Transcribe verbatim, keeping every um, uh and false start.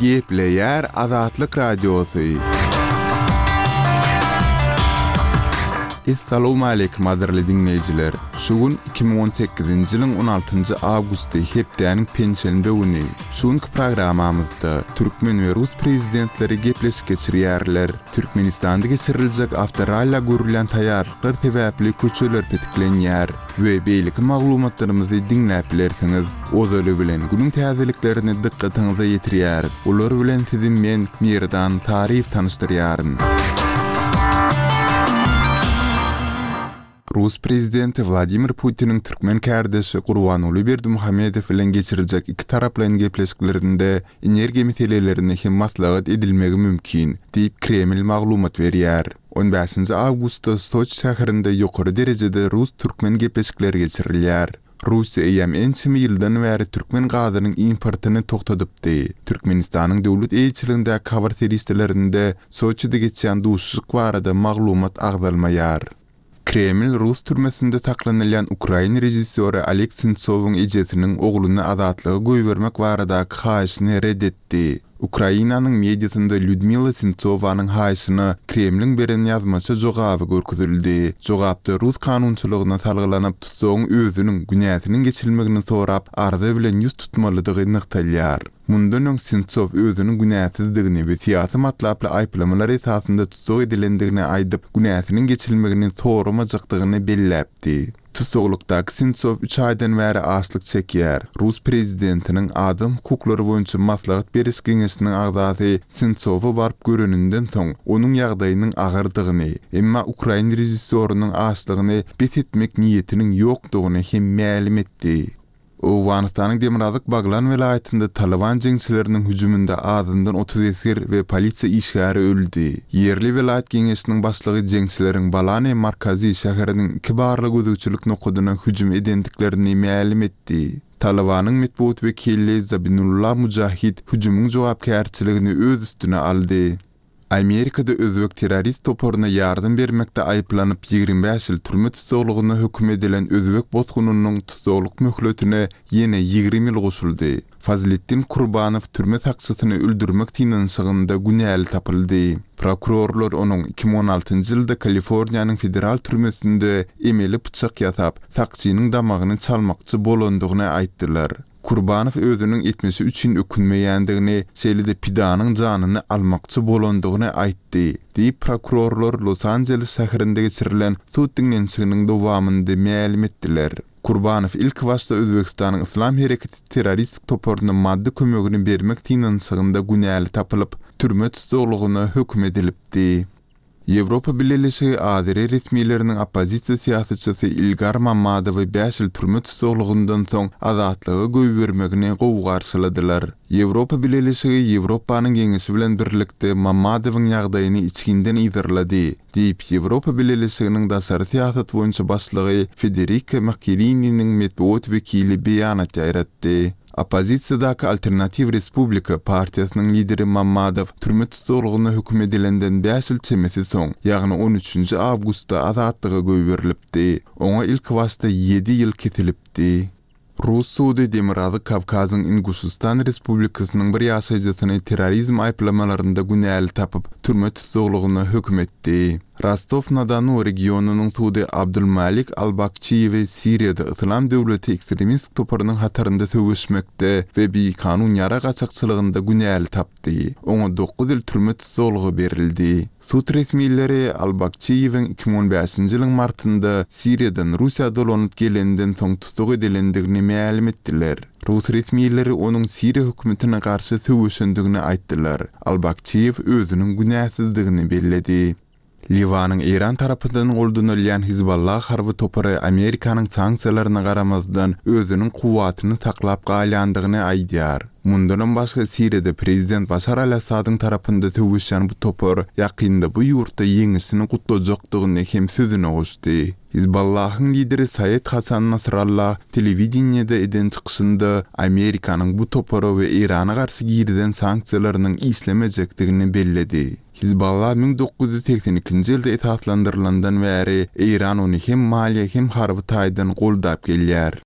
Gepleýär Azatlyk Radiosy. Essalawmaleýkim gadyrly diňleýjiler! Şu gün iki müň on sekizinji ýylyň on altynjy awgusty hepdäniň penşenbe güni. Şu günki programmamyzda türkmen we rus prezidentleri gepleşik geçirýärler. Türkmenistanda geçiriljek awtoralla görülýän taýýarlyklar sebäpli köçeler petiklenýär we beýleki maglumatlarymyzy diňläp bilersiňiz. Ozaly bilen günüň täzeliklerini dykgatyňyza ýetirýäris. Olar bilen sizi men, Merdan Taryýew tanyşdyrýaryn. Rus prezidenti Wladimir Putiniň türkmen kärdeşi Gurbanguly Berdimuhamedow bilen geçiriljek ikitaraplaýyn gepleşiklerinde energiýa meselelerine hem maslahat edilmegi mümkin, diýip, Kreml maglumat berýär. On bäşinji awgustda Soçi şäherinde ýokary derejede rus-türkmen gepleşikleri geçirilýär. Russiýa eýýäm ençeme ýyldan bäri türkmen gazynyň importyny togtadypdy. Türkmenistanyň döwlet eýeçiligindäki habar serişdelerinde Soçide geçýän duşuşyk barada maglumat agzalmaýar. Kreml rus türmesinde saklanylýan ukrain režissýory Oleg Sentsowyň ejesiniň ogluny azatlyga goýbermek baradaky haýyşyny ret etdi. Ukrainanyň mediasynda Lýudmila Sentsowanyň haýyşyna Kremliň beren ýazmaça jogaby görkezildi. Jogapda rus kanunçylygyna salgylanyp, tutsagyň özüniň günäsiniň geçilmegini sorap, arza bilen ýüz tutmalydygy nygtalýar. Mundan öň Sentsow özüniň günäsizdigini we syýasy matlaply aýyplamalar esasynda tussag edilendigini aýdyp, günäsiniň geçilmegini soramajakdygyny belläpdi. Tussaglykdaky Sentsow üç aýdan bäri açlyk çekýär. Rus prezidentiniň adam hukuklary boýunça maslahat beriş geňeşiniň agzasy Sentsowa baryp göreninden soň, onuň ýagdaýynyň agyrdygyny, emma ukrain režissýorynyň açlygyny bes etmek niýetiniň ýokdugyny hem mälim etdi. Owganystanyň Demirgazyk Baglan welaýatynda Talyban jeňçileriniň hüjüminde azyndan otuz esger we polisiýa işgäri öldi. Ýerli welaýat geňeşiniň başlygy jeňçileriň Balani Markazi şäheriniň iki barlag gözegçilik nokadyna hüjüm edendiklerini mälim etdi. Talybanyň metbugat wekili Zabinullah Mujahid hüjümiň jogapkärçiligini öz üstüne aldy. Amerikada özbek terrorist toparyna ýardam bermekde aýyplanyp, ýigrimi bäş ýyl türme tussaglygyna höküm edilen özbek bosgunynyň tussaglyk möhletine ýene ýigrimi ýyl goşuldy. Fazliddin Kurbanow türme sakçysyny öldürmek synanyşygynda günäli tapyldy. Prokurorlar onuň iki müň on altynjy ýylda Kaliforniýanyň federal türmesinde emeli pyçak ýasap, sakçynyň damagyny çalmakçy bolandygyny aýtdylar. Kurbanow özüniň etmişi üçin ökünmeýändigini, şeýle-de pidanyň janyny almakçy bolandygyny aýtdy, diýip, prokurorlar Los-Anjeles şäherinde geçirilen sud diňlenişiginiň dowamynda mälim etdiler. Kurbanow ilkibaşda Özbegistanyň Yslam hereketi terroristik toparyna maddy kömegini bermek synanyşygynda günäli tapylyp, türme tussaglygyna höküm edilipdi. Ýewropa Bileleşigi azeri resmileriniň oppozisiýa syýasatçysy Ilgar Mammadowy bäş ýyl türme tussaglygyndan soň azatlyga goýbermegini gowy garşyladylar. Ýewropa Bileleşigi Ýewropanyň Geňeşi bilen birlikde Mammadowyň ýagdaýyny içginden yzarlady, diýip, Ýewropa Bileleşiginiň daşary syýasat boýunça başlygy Federika Mogherininiň metbugat wekili beýanat ýaýratdy. Oppozisiýadaky Alternatiw Respublika partiýasynyň lideri Mammadow türme tussaglygyna höküm edilenden bäş ýyl çemesi soň, ýagny on üçünji awgustda azatlyga goýberilipdi. Oňa ilkibaşda ýedi ýyl kesilipdi. Rus sudy Demirgazyk Kawkazyň Inguşystan Respublikasynyň bir ýaşaýjysyny terrorizm aýyplamalarynda günäli tapyp, türme tussaglygyna höküm etdi. Rostow-na-Donu regionynyň sudy Abdulmalik Albakçiýewi Siriýada Yslam döwleti ekstremistik toparynyň hatarynda söweşmekde we bikanun ýarag gaçakçylygynda günäli tapdy. Oňa dokuz ýyl türme tussaglygy berildi. Sud resmileri Albakçiýewiň iki müň on bäşinji ýylyň martynda Siriýadan Russiýa dolanyp gelenden soň tussag edilendigini mälim etdiler. Rus resmileri onuň Siriýa hökümetine garşy söweşendigini aýtdylar. Albakçiýew özüniň günäsizdigini belledi. Liwanyň Eýran tarapyndan goldanylýan Hizballah harby topary Amerikanyň sanksiýalaryna garamazdan özüniň kuwwatyny saklap galýandygyny aýdýar. Mundanam başga Siriýada prezident Başar al-Assadyň tarapynda söweşýän bu topar ýakynda bu ýurtda ýeňişini gutlajakdygyny hem sözüne goşdy. Hizballahyň lideri Saýed Hasan Nasrallah telewideniýede eden çykyşynda Amerikanyň bu topara we Eýrana garşy girizen sanksiýalarynyň işlemejekdigini belledi. Hizballah müň dokuz ýüz segsen ikinji ýylda esaslandyrylandan bäri Eýran ony hem maliýe hem harby taýdan goldap gelýär.